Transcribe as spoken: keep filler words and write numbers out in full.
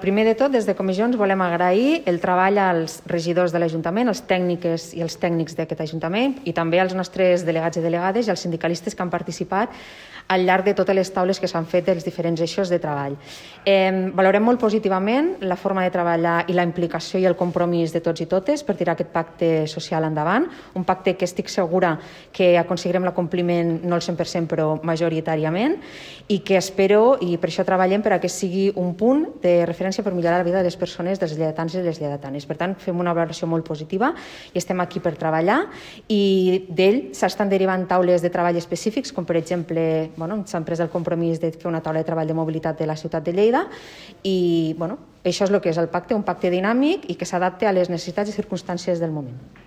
Primer de tot, des de Comissions volem agrair el treball als regidors de l'Ajuntament, als tècniques i els tècnics d'aquest Ajuntament i també als nostres delegats i delegades i als sindicalistes que han participat al llarg de totes les taules que s'han fet dels diferents eixos de treball. Eh, valorem molt positivament la forma de treballar i la implicació i el compromís de tots i totes per tirar aquest pacte social endavant, un pacte que estic segura que aconseguirem l'acompliment no al cent per cent però majoritàriament i que espero, i per això treballem, per a que sigui un punt de referència per millorar la vida de les persones, dels lleidatans i les lleidatanes. Per tant, fem una valoració molt positiva i estem aquí per treballar i d'ell s'estan derivant taules de treball específics, com per exemple, bueno, s'han pres el compromís de fer una taula de treball de mobilitat de la ciutat de Lleida i bueno, això és el que és el pacte, un pacte dinàmic i que s'adapte a les necessitats i circumstàncies del moment.